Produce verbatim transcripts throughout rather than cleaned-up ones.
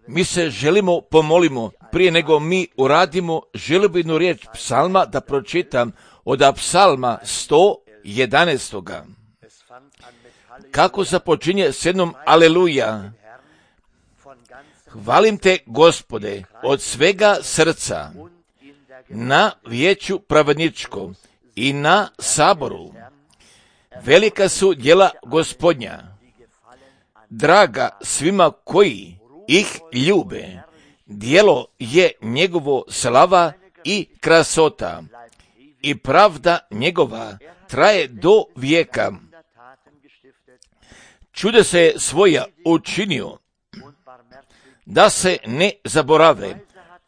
Mi se želimo pomolimo, prije nego mi uradimo, želim jednu riječ psalma da pročitam od psalma sto jedanaest. Kako započinje s jednom aleluja. Hvalim te, Gospode, od svega srca, na vijeću pravedničkom i na saboru. Velika su djela Gospodnja, draga svima koji ih ljube. Djelo je njegovo slava i krasota, i pravda njegova traje do vijeka. Čude se svoja učinio, da se ne zaborave.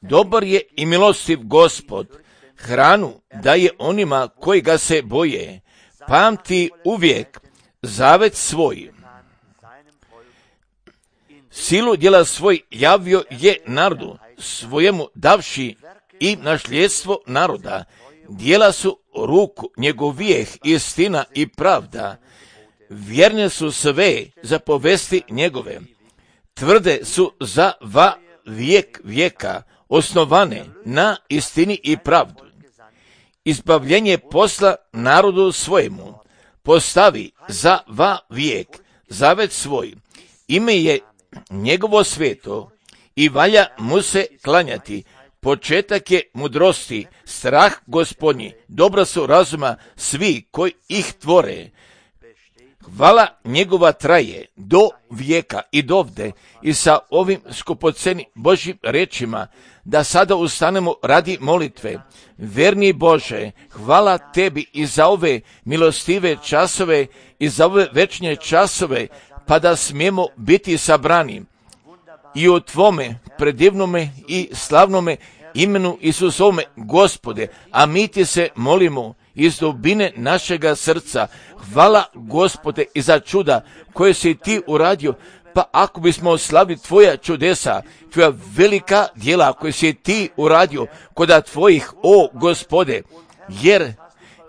Dobar je i milostiv Gospod, hranu daje onima koji ga se boje. Pamti uvijek zavet svoj. Silu djela svoj javio je narodu svojemu davši i nasljedstvo naroda. Djela su ruku njegovijeh, istina i pravda. Vjerne su sve zapovesti njegove. Tvrde su za va vijek vijeka, osnovane na istini i pravdu. Izbavljenje posla narodu svojemu, postavi za va vijek zavet svoj. Ime je njegovo sveto i valja mu se klanjati. Početak je mudrosti, strah Gospodnji, dobra su razuma svi koji ih tvore. Hvala njegova traje do vijeka i dovde. I sa ovim skupoceni Božjim rečima da sada ustanemo radi molitve. Verni Bože, hvala tebi i za ove milostive časove i za ove večne časove, pa da smijemo biti sabrani i u tvome predivnome i slavnome imenu Isusovome, Gospode, a mi ti se molimo iz dubine našega srca. Hvala, Gospode, i za čuda koje si ti uradio. Pa ako bismo slavili tvoja čudesa, tvoja velika djela koje si ti uradio koda tvojih, o Gospode, jer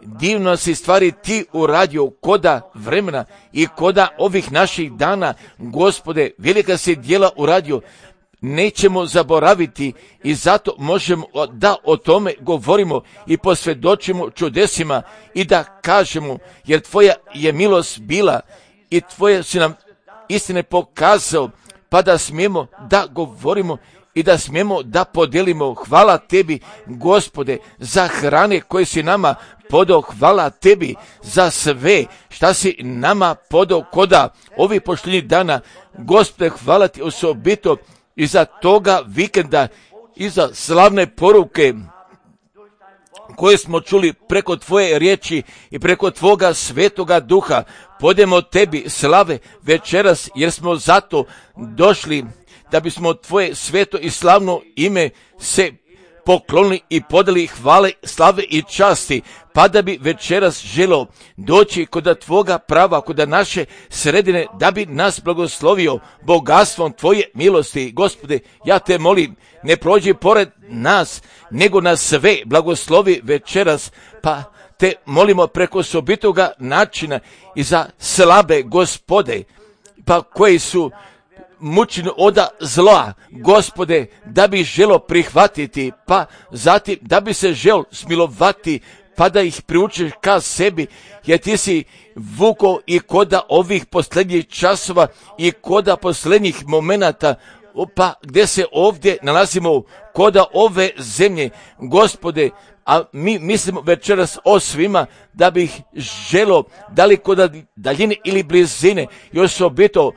divno si stvari ti uradio koda vremena i koda ovih naših dana, Gospode, velika si djela uradio, nećemo zaboraviti i zato možemo da o tome govorimo i posvjedočimo čudesima i da kažemo, jer tvoja je milost bila i tvoje si nam istine pokazao, pa da smijemo da govorimo i da smijemo da podijelimo. Hvala tebi, Gospode, za hrane koje si nama podao. Hvala tebi za sve šta si nama podao koda ovih pošljenih dana. Gospode, hvala ti osobito i za toga vikenda i za slavne poruke koje smo čuli preko tvoje riječi i preko tvoga svetoga duha. Podemo tebi slave večeras, jer smo zato došli da bismo tvoje sveto i slavno ime se poklonili i podali hvale, slave i časti, pa da bi večeras želo doći kod tvoga prava, kod naše sredine, da bi nas blagoslovio bogatstvom tvoje milosti. Gospode, ja te molim, ne prođi pored nas, nego nas sve blagoslovi večeras, pa te molimo preko osobitoga načina i za slabe, Gospode, pa koji su mučeni oda zla, Gospode, da bi želo prihvatiti, pa zatim da bi se žel smilovati, pa da ih priučiš ka sebi, jer ti si vuko i koda ovih posljednjih časova i koda posljednjih momenata, pa gdje se ovdje nalazimo koda ove zemlje, Gospode, a mi mislimo večeras o svima da bih želo, da li koda daljine ili blizine, i osobito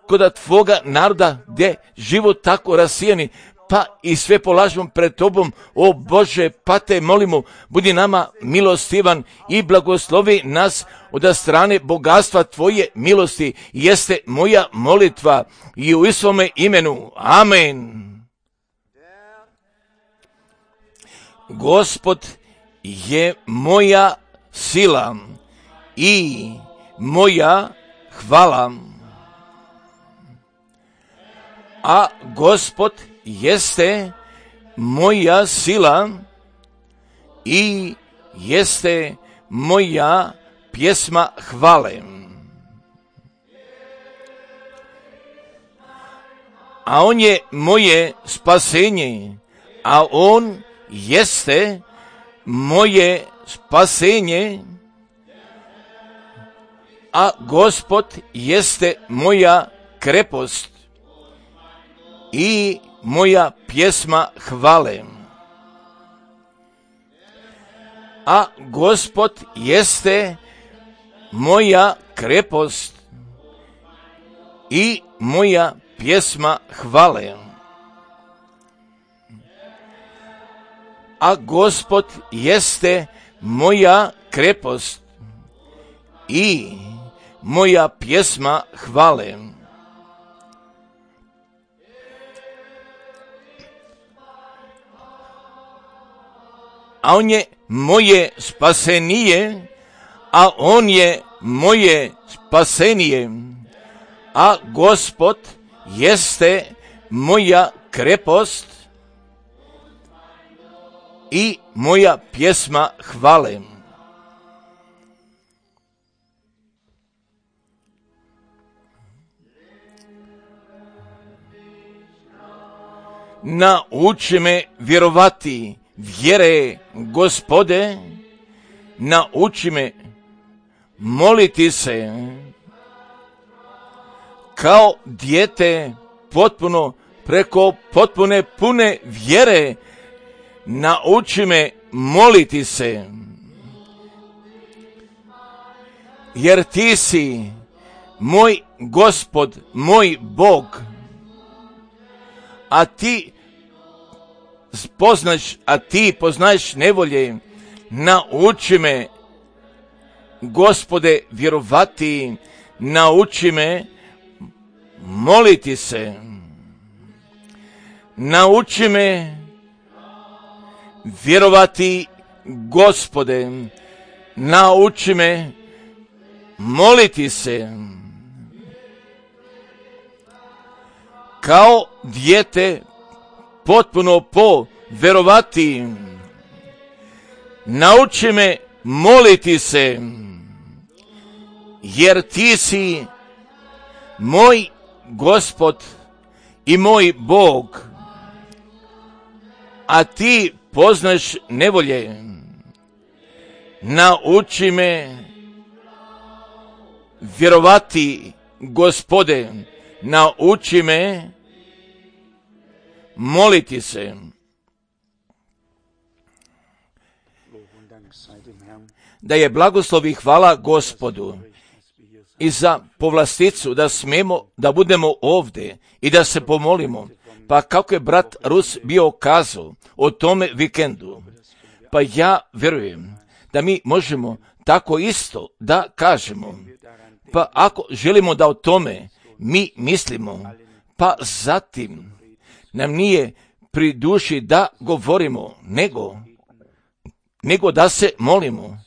koda tvoga naroda gdje život tako rasijeni, pa i sve polažemo pred tobom, o Bože, pa te molimo, budi nama milostivan i blagoslovi nas od strane bogatstva tvoje milosti, jeste moja molitva i u Isuvome imenu. Amen. Gospod je moja sila i moja hvala, a Gospod jeste moja sila i jeste moja pjesma hvale. a on je moje spasenje, a on jeste moje spasenje, a Gospod jeste moja krepost i moja pjesma hvale. A Gospod jeste moja krepost i moja pjesma hvale. A Gospod jeste moja krepost i moja pjesma hvale. A on je moje spasenije, a on je moje spasenije, a Gospod jeste moja krepost i moja pjesma hvale. Nauči me vjerovati vjere, Gospode, nauči me moliti se kao dijete potpuno preko potpune pune vjere. Nauči me moliti se, jer ti si moj Gospod, moj Bog, a ti poznaš, a ti poznaješ nevolje. Nauči me, Gospode, vjerovati, nauči me moliti se, nauči me vjerovati, Gospode, nauči me moliti se kao dijete potpuno po vjerovati. Nauči me moliti se, jer ti si moj Gospod i moj Bog, a ti poznaš nevolje. Nauči me vjerovati, Gospode, nauči me moliti se. Da je blagoslov i hvala Gospodu i za povlasticu da smemo da budemo ovdje i da se pomolimo. Pa kako je brat Rus bio kazao o tome vikendu, pa ja vjerujem da mi možemo tako isto da kažemo. Pa ako želimo da o tome mi mislimo, pa zatim nam nije pri duši da govorimo, nego, nego da se molimo,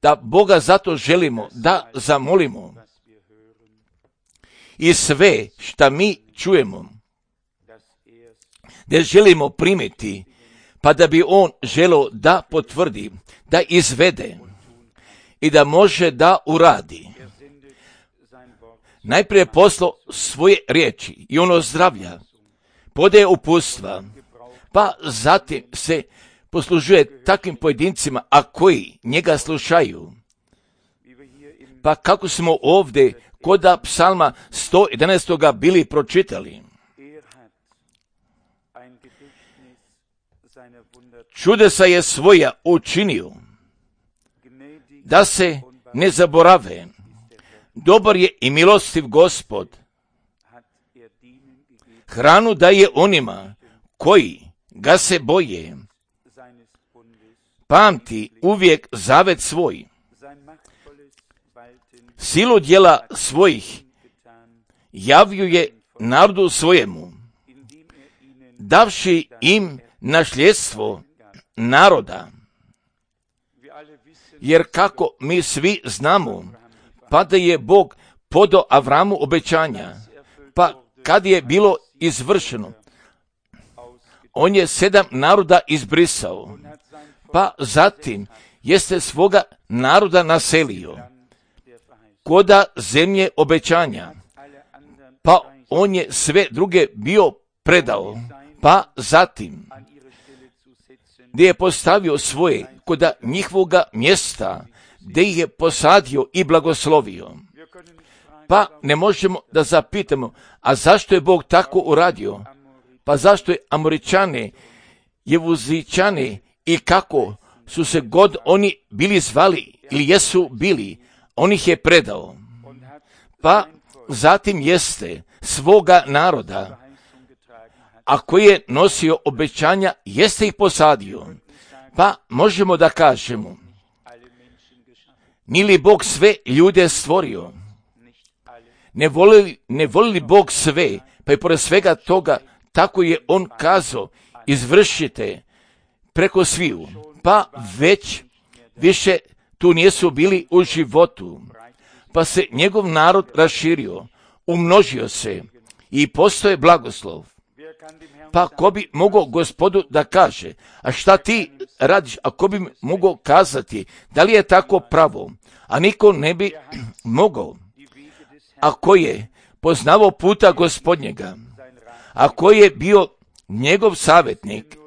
da Boga zato želimo da zamolimo. I sve šta mi čujemo, da želimo primiti, pa da bi on želio da potvrdi, da izvede i da može da uradi. Najprije poslo svoje riječi i ono zdravlja, podaje uputstva, pa zatim se poslužuje takvim pojedincima, a koji njega slušaju. Pa kako smo ovdje kod psalma sto jedanaest bili pročitali. Čudesa je svoja učinio, da se ne zaborave. Dobar je i milostiv Gospod. Hranu daje onima koji ga se boje. Pamti uvijek zavet svoj. Silu djela svojih javljuje narodu svojemu, davši im nasljedstvo naroda. Jer kako mi svi znamo, pa da je Bog podao Avramu obećanja, pa kad je bilo izvršeno, on je sedam naroda izbrisao, pa zatim jeste svoga naroda naselio koda zemlje obećanja, pa on je sve druge bio predao, pa zatim gdje je postavio svoje kod njihovoga mjesta, gdje ih je posadio i blagoslovio. Pa ne možemo da zapitamo, a zašto je Bog tako uradio? Pa zašto je Amoričane, Jevuzičane i kako su se god oni bili zvali ili jesu bili, on ih je predao. Pa zatim jeste svoga naroda, a koji je nosio obećanja, jeste ih posadio. Pa možemo da kažemo, nije li Bog sve ljude stvorio? Ne voli, ne voli li Bog sve, pa i pored svega toga, tako je on kazao, izvršite preko sviju, pa već više tu nisu bili u životu, pa se njegov narod raširio, umnožio se i postoje blagoslov. Pa ko bi mogao Gospodu da kaže, a šta ti radiš, a ko bi mogao kazati, da li je tako pravo, a niko ne bi mogao, ako je poznavao puta Gospodnjega, a koji je bio njegov savjetnik,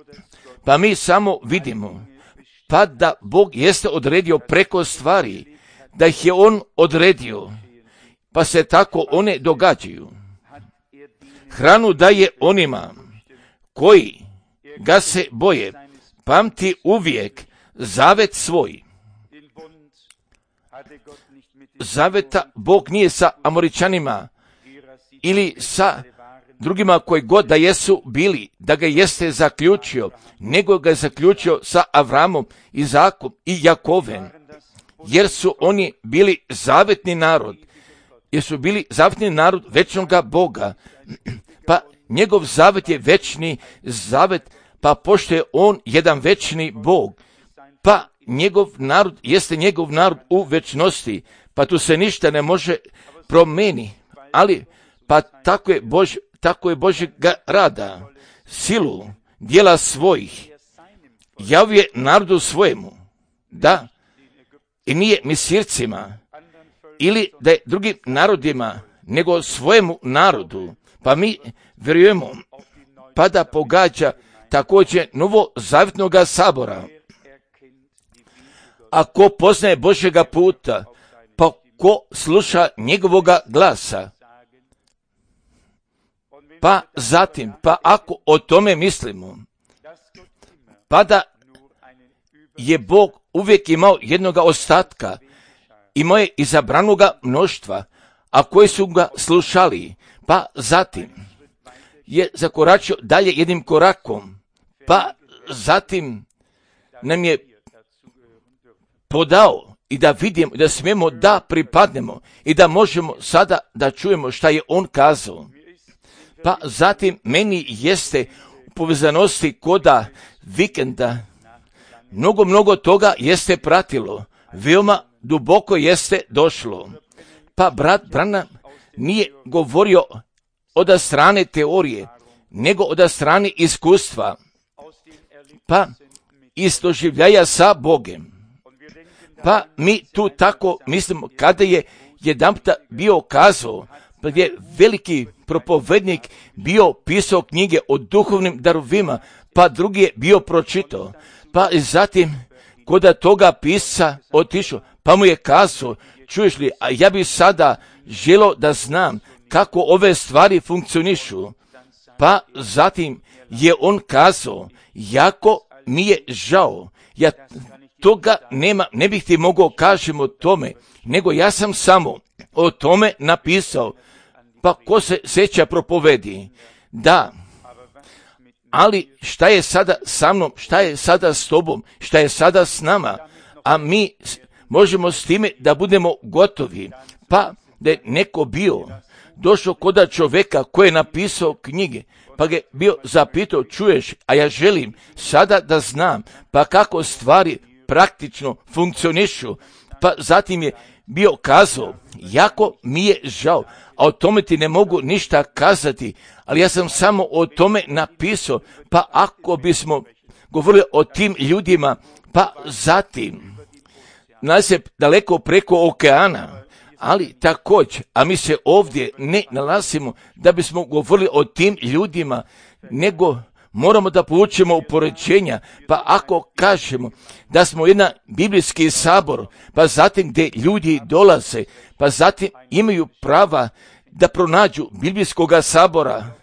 pa mi samo vidimo, pa da Bog jeste odredio preko stvari, da ih je on odredio, pa se tako one događaju. Hranu daje onima koji ga se boje, pamti uvijek zavet svoj. Zaveta Bog nije sa Amoričanima ili sa drugima koji god da jesu bili, da ga jeste zaključio, nego ga je zaključio sa Avramom, Izakom i Jakovem, jer su oni bili zavetni narod, jer su bili zavetni narod večnoga Boga, pa njegov zavet je večni zavet, pa pošto je on jedan večni Bog, pa njegov narod jeste njegov narod u večnosti, pa tu se ništa ne može promeni, ali pa tako je Bož, tako je Božjega rada, silu, djela svojih, javio narodu svojemu, da, i nije misircima, ili da je drugim narodima, nego svojemu narodu, pa mi vjerujemo, pa da pogađa također novozavjetnoga sabora. Ako poznaje Božjega puta, pa ko sluša njegovoga glasa, pa zatim, pa ako o tome mislimo, pa da je Bog uvijek imao jednoga ostatka, imao je izabranoga mnoštva, a koji su ga slušali, pa zatim je zakoračio dalje jednim korakom, pa zatim nam je podao i da vidimo, da smijemo da pripadnemo i da možemo sada da čujemo šta je on kazao. Pa zatim meni jeste u povezanosti koda vikenda mnogo, mnogo toga jeste pratilo, veoma duboko jeste došlo. Pa brat Branham nije govorio od strane teorije, nego od strane iskustva, pa iz doživljaja sa Bogem. Pa mi tu tako mislimo, kada je jedanputa bio kazao, pa je veliki propovednik bio pisao knjige o duhovnim darovima, pa drugi je bio pročitao, pa zatim kod toga pisca otišao, pa mu je kazao, čuješ li, a ja bih sada želio da znam kako ove stvari funkcionišu. Pa zatim je on kazao, jako mi je žao, ja toga nema, ne bih ti mogao kažem o tome, nego ja sam samo o tome napisao. Pa ko se sjeća propovedi? Da, ali šta je sada sa mnom, šta je sada s tobom, šta je sada s nama, a mi možemo s time da budemo gotovi. Pa da je neko bio, došao kod čovjeka koji je napisao knjige, pa ga je bio zapitao, čuješ, a ja želim sada da znam, pa kako stvari praktično funkcionišu. Pa zatim je bio kazao, jako mi je žao, a o tome ti ne mogu ništa kazati, ali ja sam samo o tome napisao, pa ako bismo govorili o tim ljudima, pa zatim, nalazi se daleko preko okeana, Ali također, a mi se ovdje ne nalazimo da bismo govorili o tim ljudima, nego moramo da poučimo upoređenja. Pa ako kažemo da smo jedan biblijski sabor, pa zatim gdje ljudi dolaze, pa zatim imaju prava da pronađu biblijskog sabora,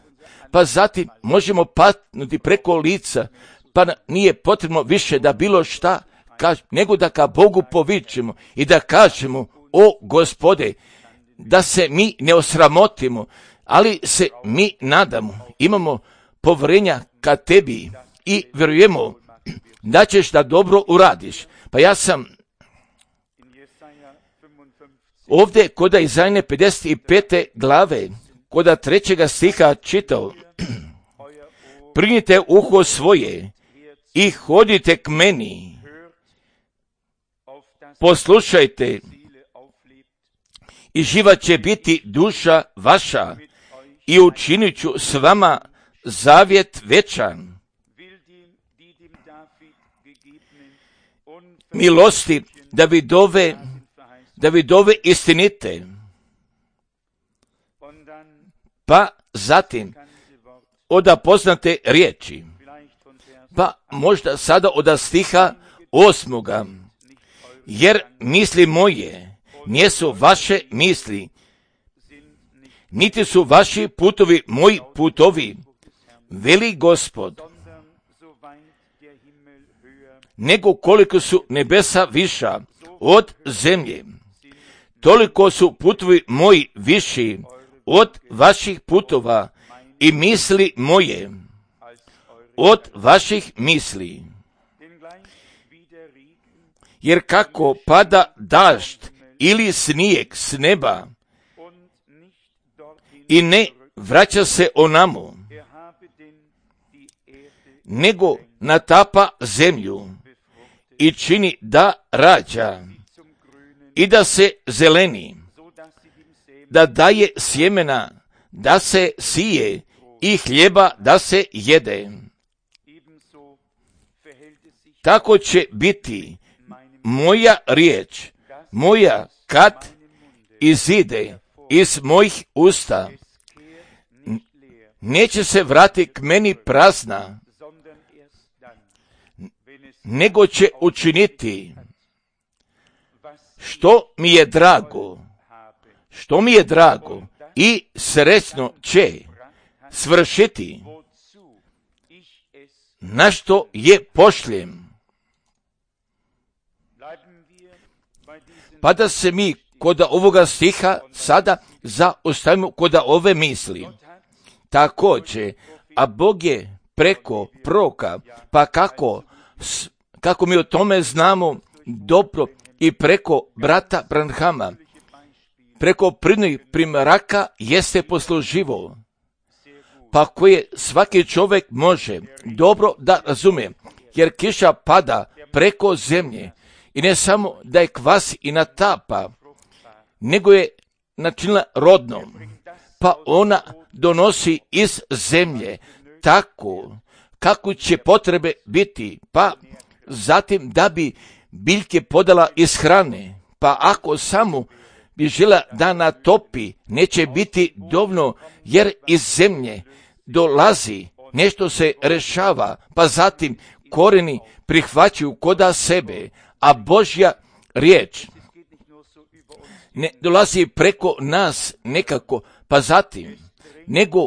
pa zatim možemo patnuti preko lica, pa nije potrebno više da bilo šta kaž, nego da ka Bogu povičemo i da kažemo: o Gospode, da se mi ne osramotimo, ali se mi nadamo, imamo povjerenja ka tebi i vjerujemo da ćeš da dobro uradiš. Pa ja sam ovdje kod Izajne pedeset pete glave, kod trećega stiha čitao: Prignite uho svoje i hodite k meni, poslušajte i živa će biti duša vaša i učinit ću s vama zavjet večan. Milosti Davidove, Davidove istinite. Pa zatim oda poznate riječi, pa možda sada oda stiha osmoga. Jer misli moje nisu vaše misli, niti su vaši putovi moji putovi, veli Gospod. Nego koliko su nebesa viša od zemlje, toliko su putovi moji viši od vaših putova i misli moje od vaših misli. Jer kako pada dažd ili snijeg s neba i ne vraća se onamo, nego natapa zemlju i čini da rađa i da se zeleni, da daje sjemena, da se sije i hljeba da se jede. Tako će biti moja riječ, moja kad izide iz mojih usta, neće se vratiti k meni prazna, nego će učiniti što mi je drago, što mi je drago i sretno će svršiti, na što je pošljem. Pa da se mi kod ovoga stiha sada zaostavimo kod ove misli. Također, a Bog je preko proroka, pa kako, kako mi o tome znamo dobro i preko brata Branhama, preko pridnih primjeraka jeste posluživo, pa koje svaki čovjek može dobro da razumije, jer kiša pada preko zemlje i ne samo da je kvasi i natapa, nego je načinila rodnom, pa ona donosi iz zemlje tako kako će potrebe biti, pa zatim da bi biljke podala iz hrane, pa ako samo bi žela da natopi, neće biti dovoljno, jer iz zemlje dolazi, nešto se rešava, pa zatim koreni prihvaćaju koda sebe, a Božja riječ ne dolazi preko nas nekako, pa zatim, nego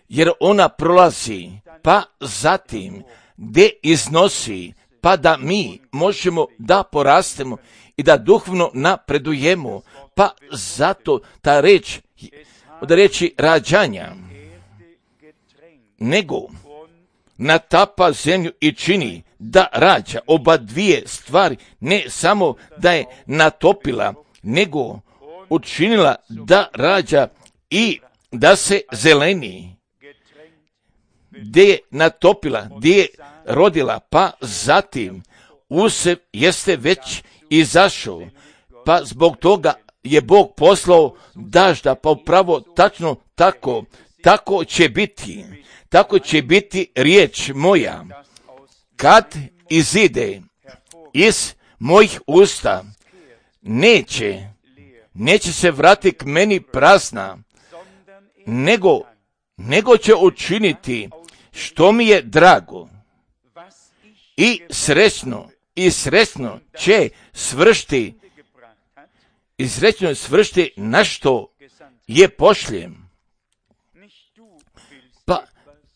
jer ona prolazi, pa zatim gdje iznosi, pa da mi možemo da porastemo i da duhovno napredujemo, pa zato ta reč, od reči rađanja, nego natapa zemlju i čini da rađa. Oba dvije stvari, ne samo da je natopila, nego učinila da rađa i da se zeleni. Gdje je natopila, gdje je rodila, pa zatim usjev jeste već izašao, pa zbog toga je Bog poslao dažda, pa upravo tačno tako, tako će biti, tako će biti riječ moja, kad izide iz mojih usta, neće, neće se vratiti k meni prazna, nego, nego će učiniti što mi je drago i srećno, i srećno će svršiti, i srećno svršiti na što je pošljem. Pa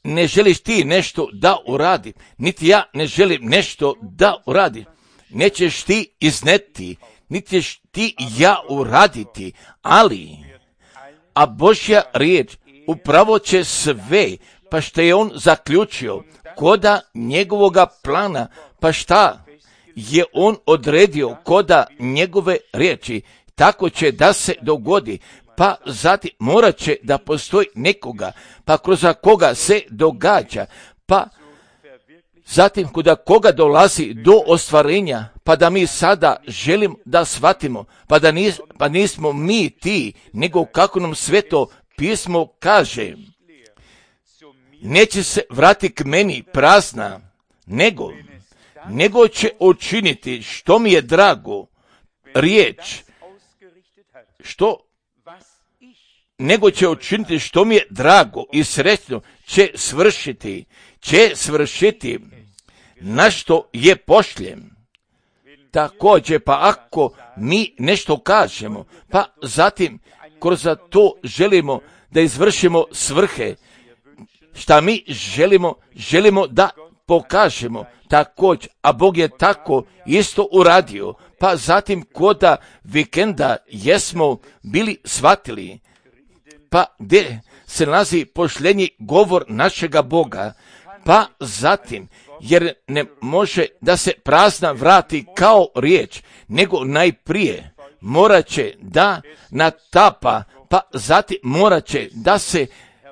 ne želiš ti nešto da uradi, niti ja ne želim nešto da uradi. Nećeš ti izneti, niti ćeš ti ja uraditi, ali, a Božja riječ upravo će sve, pa što je on zaključio, koda njegovoga plana, pa šta je on odredio koda njegove riječi, tako će da se dogodi. Pa zatim morat će da postoji nekoga, pa kroz koga se događa, pa zatim kuda koga dolazi do ostvarenja, pa da mi sada želim da shvatimo, pa da nis, pa nismo mi ti, nego kako nam Sveto pismo kaže, neće se vratiti k meni prazna, nego, nego će učiniti što mi je drago, riječ, što nego će učiniti što mi je drago i srećno će svršiti, će svršiti na što je pošljem. Također, pa ako mi nešto kažemo, pa zatim kroz to želimo da izvršimo svrhe, šta mi želimo, želimo da pokažemo također, a Bog je tako isto uradio, pa zatim koda vikenda jesmo bili shvatili, pa gdje se nalazi pošljenji govor našega Boga, pa zatim, jer ne može da se prazna vrati kao riječ, nego najprije morat će da natapa, pa zatim morat će da se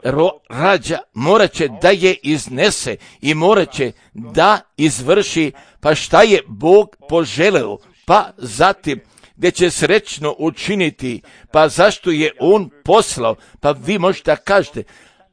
ro, rađa, morat će da je iznese i morat će da izvrši, pa šta je Bog poželeo, pa zatim gdje će srećno učiniti, pa zašto je on poslao, pa vi možete da kažete,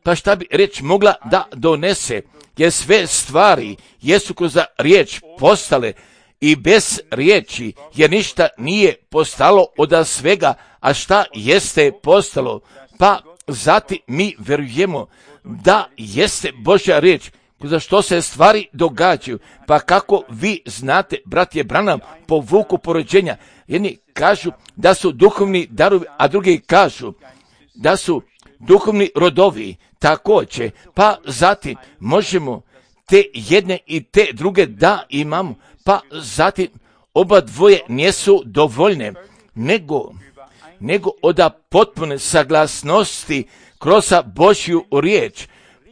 pa šta bi riječ mogla da donese, jer sve stvari jesu kroz riječ postale i bez riječi, jer ništa nije postalo od svega, a šta jeste postalo, pa zatim mi vjerujemo da jeste Božja riječ, za što se stvari događaju, pa kako vi znate, brat je Branham po vuku porođenja, jedni kažu da su duhovni darovi, a drugi kažu da su duhovni rodovi, također, pa zatim možemo te jedne i te druge da imamo, pa zatim oba dvoje nisu dovoljne, nego, nego od potpune saglasnosti kroz Božju riječ,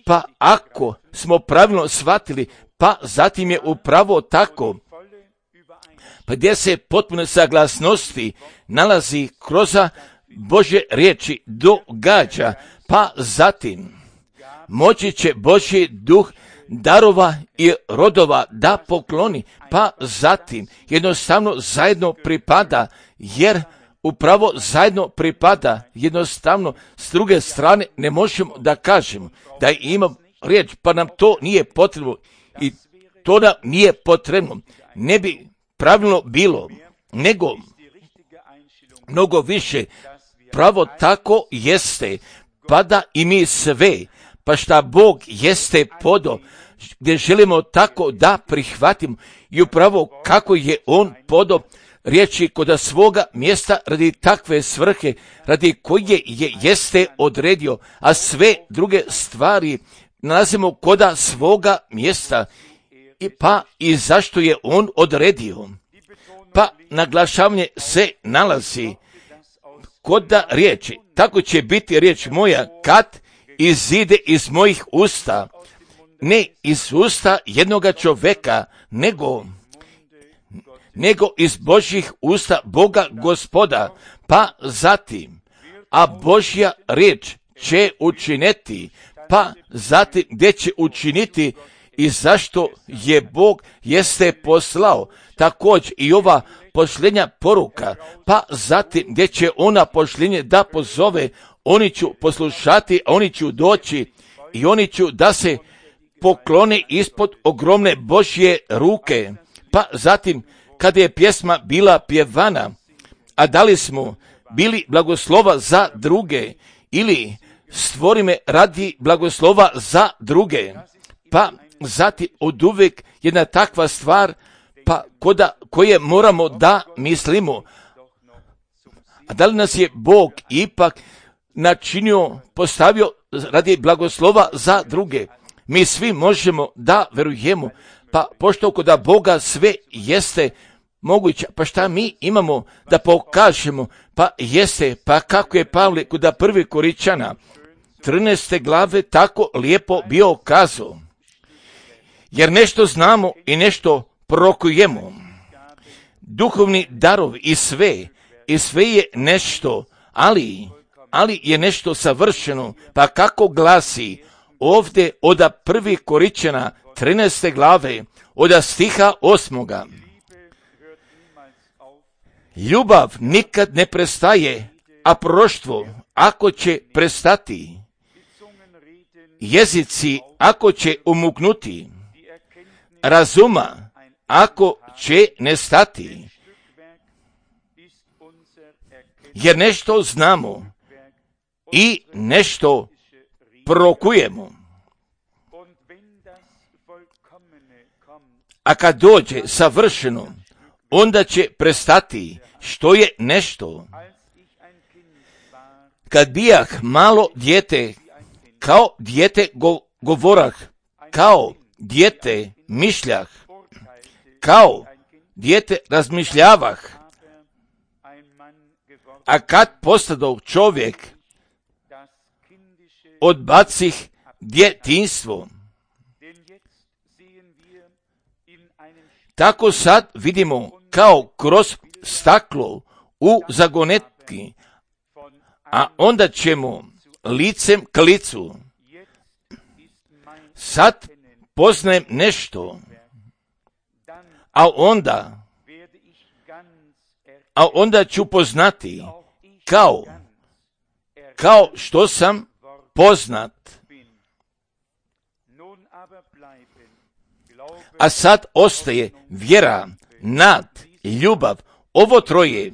pa ako smo pravilno shvatili, pa zatim je upravo tako, pa gdje se potpune saglasnosti nalazi kroz Božje riječi događa, pa zatim moći će Božji duh darova i rodova da pokloni, pa zatim jednostavno zajedno pripada, jer upravo zajedno pripada, jednostavno s druge strane ne možemo da kažemo da imam riječ, pa nam to nije potrebno i to nam nije potrebno, ne bi pravilno bilo, nego mnogo više pravo tako jeste, pa da i mi sve, pa šta Bog jeste podo, gdje želimo tako da prihvatimo i upravo kako je On podo riječi kod svoga mjesta radi takve svrhe, radi koje je jeste odredio, a sve druge stvari nalazimo koda svoga mjesta, i pa i zašto je On odredio. Pa naglašavanje se nalazi koda riječi, tako će biti riječ moja kad izide iz mojih usta, ne iz usta jednoga čovjeka, nego nego iz Božjih usta Boga Gospoda, pa zatim, a Božja riječ će učiniti, pa zatim gdje će učiniti i zašto je Bog jeste poslao, također i ova pošljenja poruka, pa zatim gdje će ona pošljenje da pozove, oni ću poslušati, oni ću doći i oni ću da se poklone ispod ogromne Božje ruke, pa zatim kada je pjesma bila pjevana, a da li smo bili blagoslova za druge ili stvori me radi blagoslova za druge. Pa zatim od uvijek jedna takva stvar pa koda, koje moramo da mislimo. A da li nas je Bog ipak načinio, postavio radi blagoslova za druge? Mi svi možemo da verujemo, pa pošto koda Boga sve jeste moguće, pa šta mi imamo da pokažemo? Pa jeste, pa kako je Pavle koda prvi Koričana trinaeste glave tako lijepo bio kazao. Jer nešto znamo i nešto prorokujemo. Duhovni darovi i sve, i sve je nešto, ali, ali je nešto savršeno, pa kako glasi ovdje od prvi Koričana trinaeste glave, od stiha osmoga. Ljubav nikad ne prestaje, a proroštvo ako će prestati, jezici ako će umuknuti, razuma ako će nestati, jer nešto znamo i nešto prorokujemo. A kad dođe savršeno, onda će prestati što je nešto. Kad bijah malo dijete, kao dijete go, govorah, kao dijete mišljah, kao dijete razmišljavah, a kad postadov čovjek, odbacih djetinjstvo. Tako sad vidimo kao kroz staklo u zagonetki, a onda ćemo licem k licu. Sad poznajem nešto, a onda, a onda ću poznati kao, kao što sam poznat. A sad ostaje vjera, nad, ljubav, ovo troje,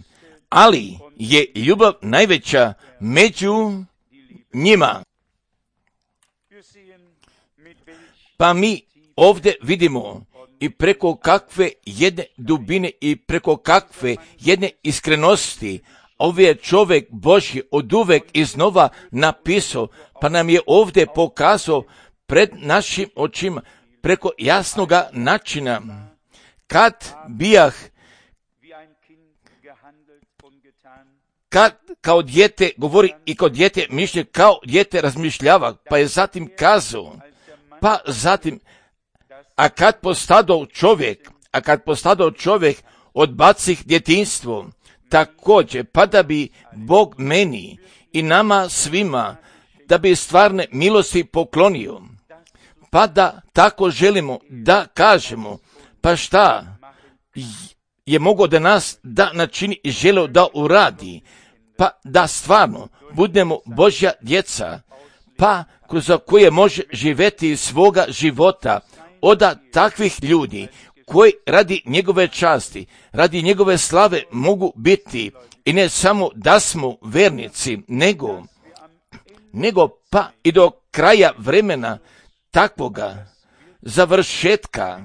ali je ljubav najveća među njima. Pa mi ovdje vidimo i preko kakve jedne dubine i preko kakve jedne iskrenosti ovaj je čovjek Božji od uvek iznova napisao, pa nam je ovdje pokazao pred našim očima preko jasnoga načina. Kad bijah, kad kao dijete govori i kao dijete mišlje, kao dijete razmišljava, pa je zatim kazao, pa zatim, a kad postadao čovjek, a kad postadao čovjek odbacih djetinjstvo, također, pa da bi Bog meni i nama svima, da bi stvarne milosti poklonio, pa da tako želimo da kažemo, pa šta je mogao da nas da načini i želeo da uradi, pa da stvarno budemo Božja djeca, pa kroz koje može živjeti svoga života od takvih ljudi koji radi njegove časti, radi njegove slave mogu biti i ne samo da smo vernici, nego, nego pa i do kraja vremena takvoga završetka,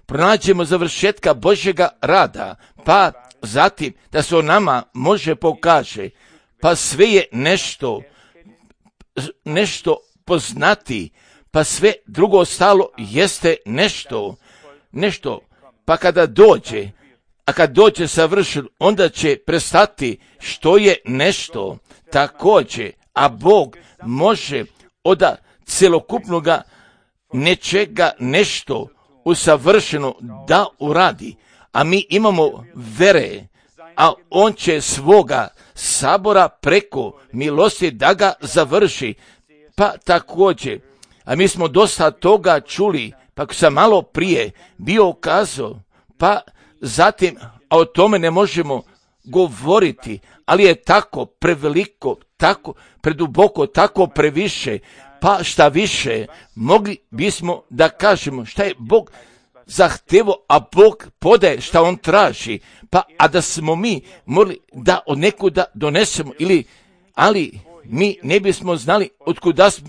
pronađemo završetka Božjega rada, pa zatim da se o nama može pokaže, pa sve je nešto, nešto poznati, pa sve drugo ostalo jeste nešto, nešto, pa kada dođe, a kad dođe savršen, onda će prestati što je nešto također, a Bog može od celokupnoga nečega nešto usavršeno da uradi, a mi imamo vere, a on će svoga sabora preko milosti da ga završi, pa također, a mi smo dosta toga čuli, pa sam malo prije bio kazao, pa zatim, a o tome ne možemo govoriti, ali je tako preveliko, tako preduboko, tako previše, pa šta više, mogli bismo da kažemo šta je Bog zahtevo, a Bog podaje šta on traži, pa a da smo mi morali da od nekuda donesemo, ili, ali mi ne bismo znali otkuda smo,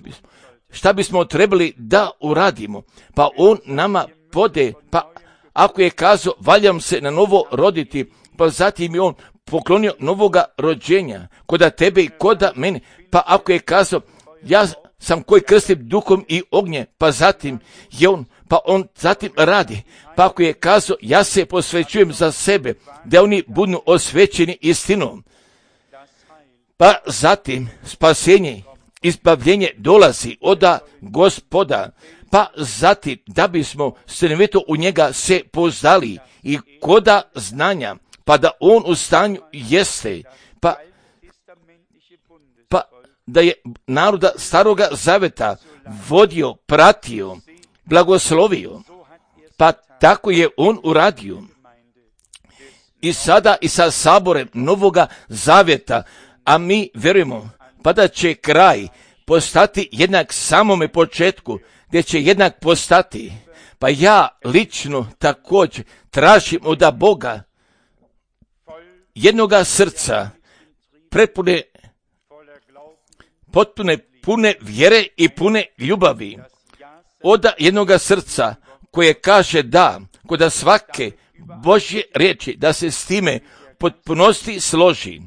šta bismo trebali da uradimo, pa on nama podaje, pa ako je kazao valjam se na novo roditi, pa zatim je on poklonio novoga rođenja, koda tebe i koda mene, pa ako je kazao ja sam koji krstim duhom i ognje, pa zatim je on, pa on zatim radi, pa ako je kazao ja se posvećujem za sebe, da oni budu osvećeni istinom, pa zatim spasenje, izbavljenje dolazi od Gospoda, pa zatim da bismo stanovito u njega se poznali i koda znanja, pa da on u stanju jeste, pa, pa da je naroda staroga zaveta vodio, pratio, blagoslovio, pa tako je on uradio. I sada i sa saborem novoga zaveta, a mi vjerujemo, pa da će kraj postati jednak samome početku, gdje će jednak postati. Pa ja lično također tražim od Boga jednoga srca, prepune, potpune, pune vjere i pune ljubavi. Od jednoga srca koje kaže da, kod svake Božje riječi, da se s time potpunosti složi,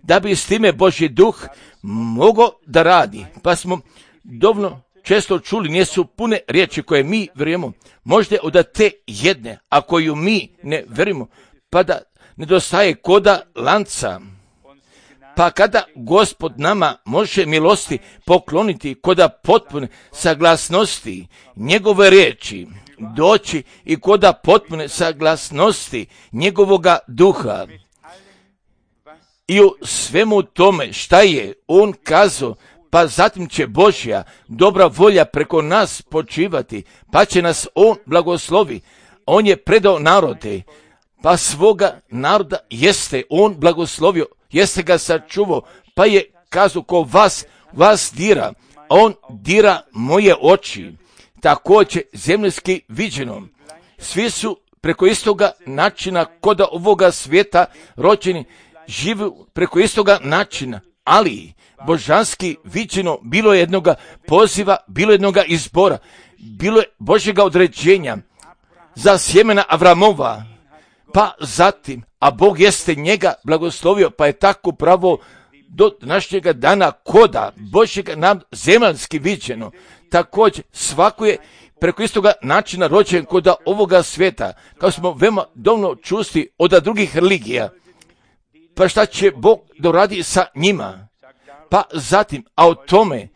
da bi s time Božji duh mogao da radi. Pa smo dovoljno često čuli, nisu pune riječi koje mi vjerujemo, možda od te jedne, a koju mi ne vjerujemo, pa da nedostaje koda lanca. Pa kada Gospod nama može milosti pokloniti koda potpune saglasnosti njegove riječi, doći i koda potpune saglasnosti njegovoga duha. I u svemu tome šta je on kazao, pa zatim će Božja dobra volja preko nas počivati, pa će nas on blagoslovi. On je predao narode, pa svoga naroda jeste on blagoslovio, jeste ga sačuvao, pa je kazao ko vas, vas dira, on dira moje oči. Također zemljski viđeno, svi su preko istoga načina koda ovoga svijeta rođeni, žive preko istoga načina, ali božanski viđeno bilo je jednoga poziva, bilo je jednoga izbora, bilo je Božjega određenja za sjemena Avramova, pa zatim, a Bog jeste njega blagoslovio, pa je tako pravo do današnjega dana koda Božjega nam zemaljski viđeno. Također svako je preko istoga načina rođen koda ovoga svijeta, kao smo veoma dovoljno čusti od drugih religija. Pa šta će Bog doradi sa njima? Pa zatim, a o tome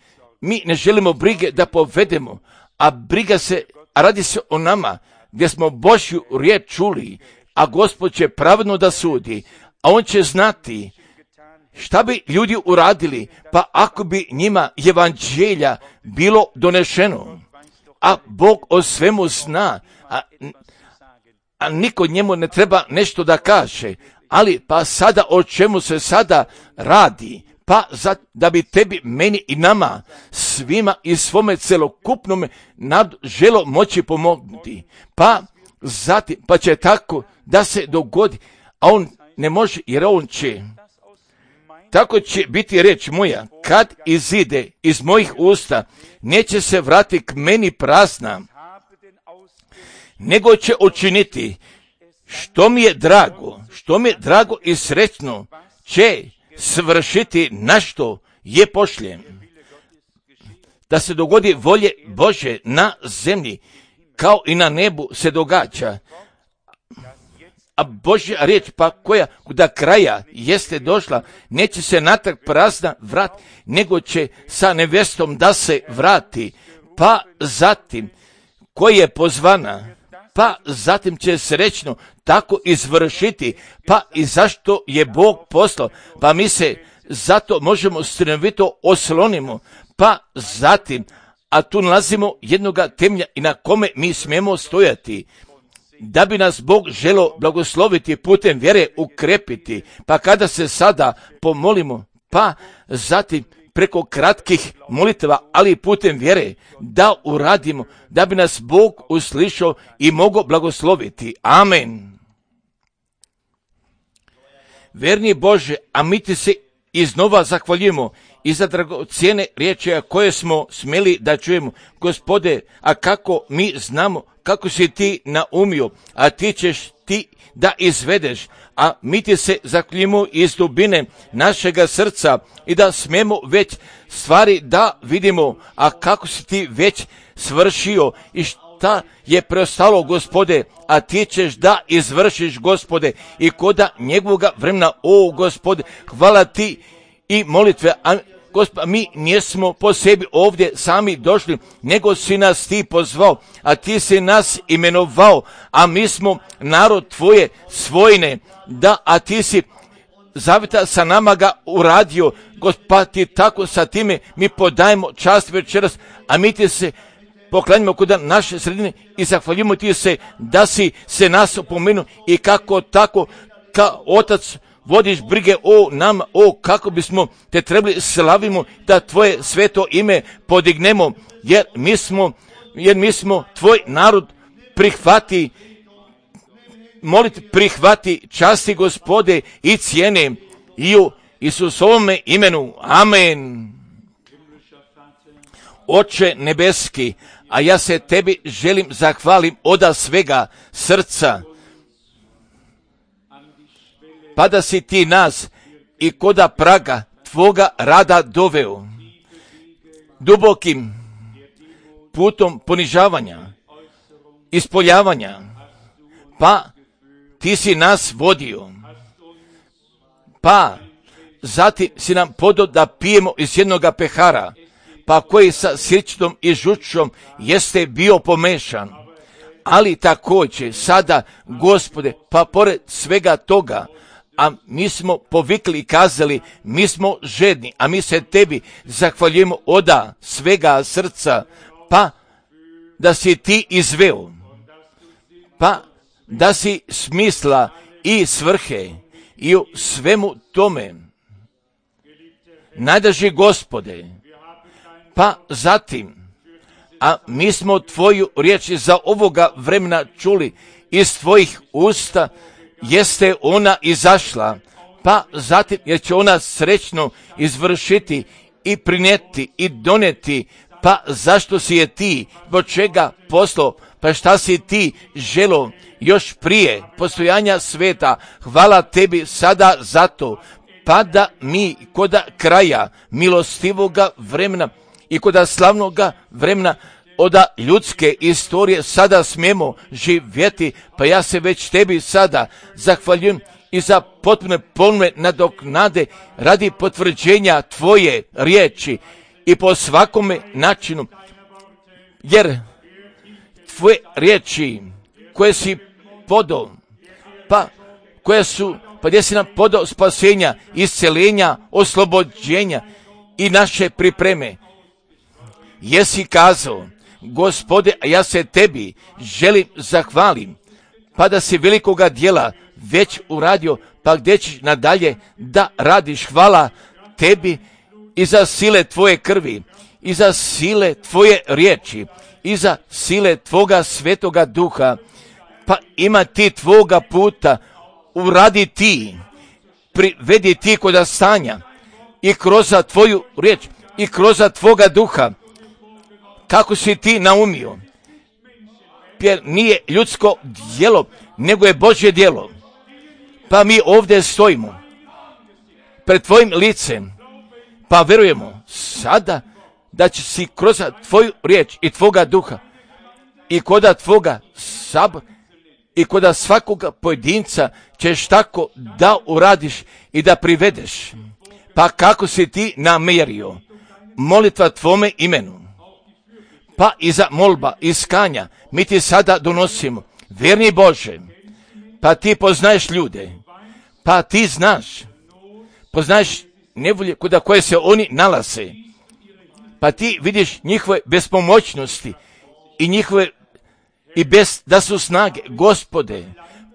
mi ne želimo brige da povedemo, a briga se, a radi se o nama, gdje smo Božju riječ čuli, a Gospod će pravedno da sudi, a on će znati šta bi ljudi uradili, pa ako bi njima evanđelja bilo donešeno, a Bog o svemu zna, a, a niko njemu ne treba nešto da kaže, ali pa sada o čemu se sada radi, pa za, da bi tebi, meni i nama, svima i svome celokupnome narodu želo moći pomognuti, pa zatim, pa će tako da se dogodi, a on ne može, jer on će. Tako će biti reč moja, kad izide iz mojih usta, neće se vrati k meni prazna, nego će učiniti što mi je drago, što mi je drago i srećno, će svršiti na što je pošljem. Da se dogodi volje Bože na zemlji, kao i na nebu se događa. A Božja riječ pa koja do kraja jeste došla, neće se natrag prazna vrat, nego će sa nevestom da se vrati. Pa zatim, koja je pozvana, pa zatim će srećno tako izvršiti, pa i zašto je Bog poslao, pa mi se zato možemo stanovito oslonimo, pa zatim, a tu nalazimo jednoga temelja i na kome mi smijemo stojati, da bi nas Bog želo blagosloviti putem vjere ukrepiti, pa kada se sada pomolimo, pa zatim preko kratkih molitva, ali putem vjere, da uradimo, da bi nas Bog uslišao i mogao blagosloviti. Amen. Verni Bože, a mi ti se iznova zahvaljujemo i za dragocjene riječi koje smo smjeli da čujemo. Gospode, a kako mi znamo kako si ti naumio, a ti ćeš ti da izvedeš, a mi ti se zahvaljujemo iz dubine našega srca i da smijemo već stvari da vidimo, a kako si ti već svršio i šta je preostalo, Gospode, a ti ćeš da izvršiš, Gospode, i koda njegovoga vremena, o Gospode, hvala ti i molitve, a Gospod, mi nismo po sebi ovdje sami došli, nego si nas ti pozvao, a ti si nas imenovao, a mi smo narod tvoje svojine, da, a ti si zavjeta sa nama ga uradio, Gospod, ti tako sa time mi podajemo čast večeras, a mi ti se poklanjamo kod naše sredine i zahvaljujemo ti se da si se nas opomenuo i kako tako kao otac vodiš brige o nama, o kako bismo te trebali slavimo, da tvoje sveto ime podignemo, jer mi smo, jer mi smo tvoj narod. Prihvati, moliti, prihvati časti, Gospode, i cijene i u Isusovome imenu. Amen. Oče nebeski, a ja se tebi želim zahvalim oda svega srca, pa da si ti nas i koda praga tvoga rada doveo, dubokim putom ponižavanja, ispoljavanja, pa ti si nas vodio, pa zatim si nam podao da pijemo iz jednoga pehara, pa koji sa sirćom i žučom jeste bio pomešan. Ali također sada, Gospode, pa pored svega toga, a mi smo povikli i kazali, mi smo žedni, a mi se tebi zahvaljujemo oda svega srca, pa da si ti izveo, pa da si smisla i svrhe i u svemu tome, najdraži Gospode, pa zatim, a mi smo tvoju riječ za ovoga vremena čuli iz tvojih usta, jeste ona izašla, pa zatim jer će ona srećno izvršiti i prinijeti i donijeti, pa zašto si je ti, zbog čega poslao, pa šta si ti želo još prije postojanja sveta. Hvala tebi sada za to, pa da mi koda kraja milostivoga vremena i koda slavnoga vremena oda ljudske istorije sada smijemo živjeti, pa ja se već tebi sada zahvaljujem i za potpune polne nadoknade radi potvrđenja tvoje riječi i po svakome načinu, jer tvoje riječi koje si podao, pa koje su, pa gdje si nam podao spasenja, isceljenja, oslobođenja i naše pripreme, jesi kazao, Gospode, a ja se tebi želim zahvalim, pa da si velikoga dijela već uradio, pa gdje ćeš nadalje da radiš. Hvala tebi i za sile tvoje krvi, i za sile tvoje riječi, i za sile tvoga svetoga duha, pa ima ti tvoga puta, uradi ti, privedi ti koda stanja i kroz tvoju riječ i kroz tvoga duha, kako si ti naumio, jer nije ljudsko djelo, nego je Božje djelo. Pa mi ovdje stojimo pred tvojim licem, pa vjerujemo sada da će si kroz tvoju riječ i tvoga duha i koda tvoga sabora i koda svakoga pojedinca ćeš tako da uradiš i da privedeš. Pa kako si ti namjerio, molitva tvome imenu, pa i za molba, iskanja, mi ti sada donosimo. Vjerni Bože, pa ti poznaješ ljude, pa ti znaš, poznaješ nevolje kuda koje se oni nalaze, pa ti vidiš njihove bespomoćnosti i njihove, i bez da su snage. Gospode,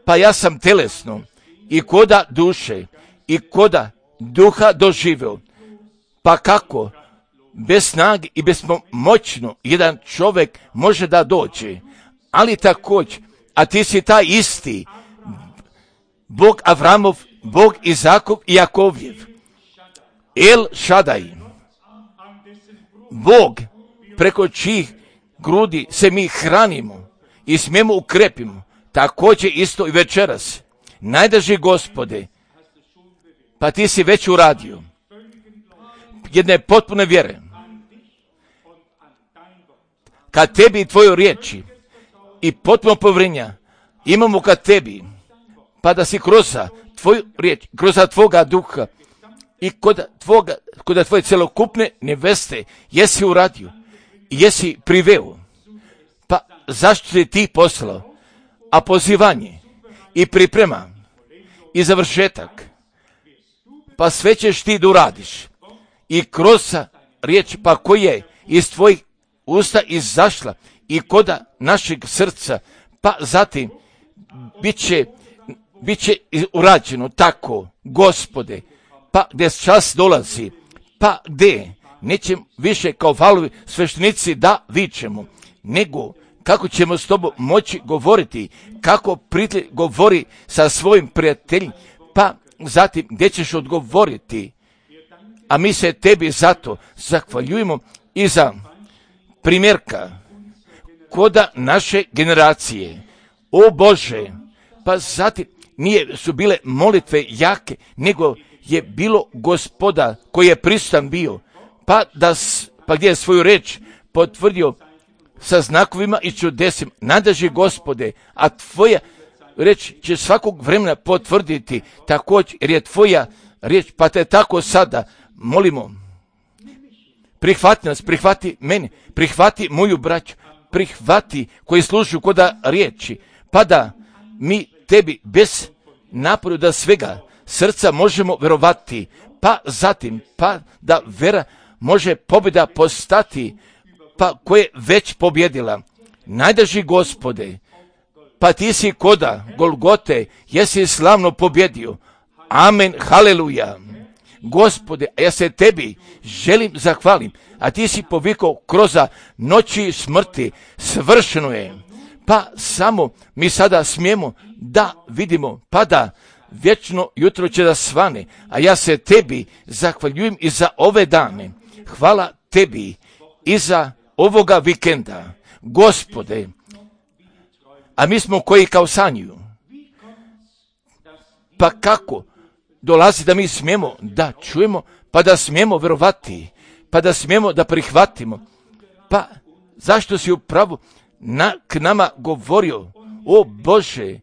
pa ja sam telesno i koda duše i koda duha doživio, Pa kako? Bez snage i bespomoćno jedan čovjek može da dođe, ali također, a ti si taj isti, Bog Avramov, Bog Izakov i Jakovljev, El Šadaj, Bog preko čijih grudi se mi hranimo i smijemo ukrepimo, također isto i večeras. Najdraži Gospode, pa ti si već uradio jedne potpune vjere kad tebi i tvoju riječi i potpuno povjerenja imamo kad tebi, pa da si kroz tvoju riječ, kroz tvoga duha i kod tvoga, kod tvoje celokupne neveste jesi uradio i jesi priveo. Pa zašto si ti poslao? A pozivanje i priprema i završetak, pa sve ćeš ti da uradiš. I kroz riječ pa koja je iz tvojih usta izašla i koda našeg srca, pa zatim bit će, bit će urađeno tako, Gospode, pa gdje čas dolazi, pa gdje neće više kao valovi sveštenici da vičemo, nego kako ćemo s tobom moći govoriti, kako prijatelj govori sa svojim prijateljem, pa zatim gdje ćeš odgovoriti. A mi se tebi zato zahvaljujemo i za primjerka koda naše generacije. O Bože, pa zatim nije su bile molitve jake, nego je bilo Gospoda koji je prisutan bio, pa, da, pa gdje je svoju reč potvrdio sa znakovima i čudesima. Nadrži Gospode, a tvoja reč će svakog vremena potvrditi također, jer je tvoja riječ, pa te tako sada molimo, prihvati nas, prihvati mene, prihvati moju braću, prihvati koji služuju koda riječi, pa da mi tebi bez naporu da svega srca možemo verovati, pa zatim, pa da vera može pobjeda postati, pa koja je već pobjedila. Najdraži Gospode, pa ti si koda Golgote, jesi slavno pobjedio. Amen, haleluja. Gospode, ja se tebi želim zahvalim, a ti si povikao kroz noći smrti, svršeno je. Pa samo mi sada smijemo da vidimo, pa da vječno jutro će da svane, a ja se tebi zahvaljujem i za ove dane. Hvala tebi i za ovoga vikenda, Gospode, a mi smo koji kao sanjuju. Pa kako dolazi da mi smijemo da čujemo, pa da smijemo verovati, pa da smijemo da prihvatimo. Pa zašto si upravo na, k nama govorio, o Bože,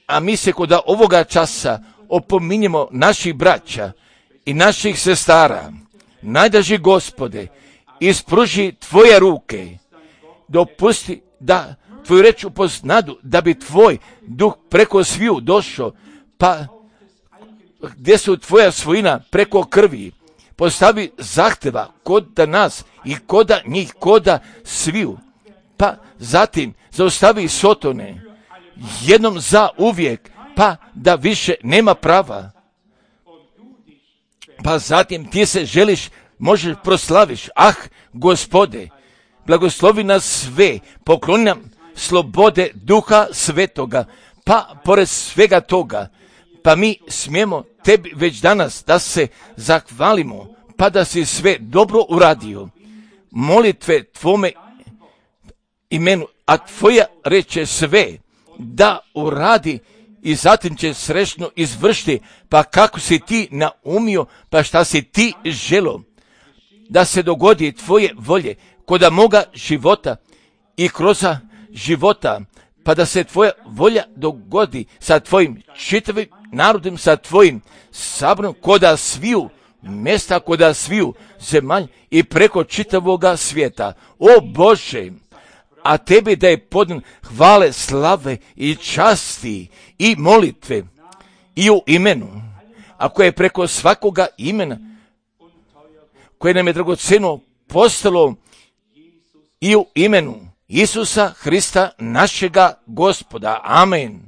a mi se kod ovoga časa opominjemo naših braća i naših sestara. Najdraži Gospode, ispruži tvoje ruke, dopusti da tvoju reč upoznadu, da bi tvoj duh preko sviju došao, pa gdje su tvoja svojina preko krvi, postavi zahteva kod nas i koda njih, koda sviju, pa zatim zaustavi sotone, jednom za uvijek, pa da više nema prava. Pa zatim ti se želiš, možeš proslaviš, ah, Gospode, blagoslovi nas sve, pokloni nam slobode Duha Svetoga, pa pored svega toga, pa mi smijemo tebi već danas da se zahvalimo, pa da si sve dobro uradio. Molitve tvome imenu, a tvoja reče sve da uradi i zatim će srećno izvršiti, pa kako si ti naumio, pa šta si ti želo, da se dogodi tvoje volje koda moga života i kroz života, pa da se tvoja volja dogodi sa tvojim čitavim narodom, sa tvojim saborom, koda sviju mjesta, koda sviju zemalj i preko čitavoga svijeta. O Bože, a tebi da je podan hvale, slave i časti i molitve i u imenu, a koje je preko svakoga imena, koje nam je dragoceno postalo, i u imenu Isusa Hrista našega Gospoda. Amen.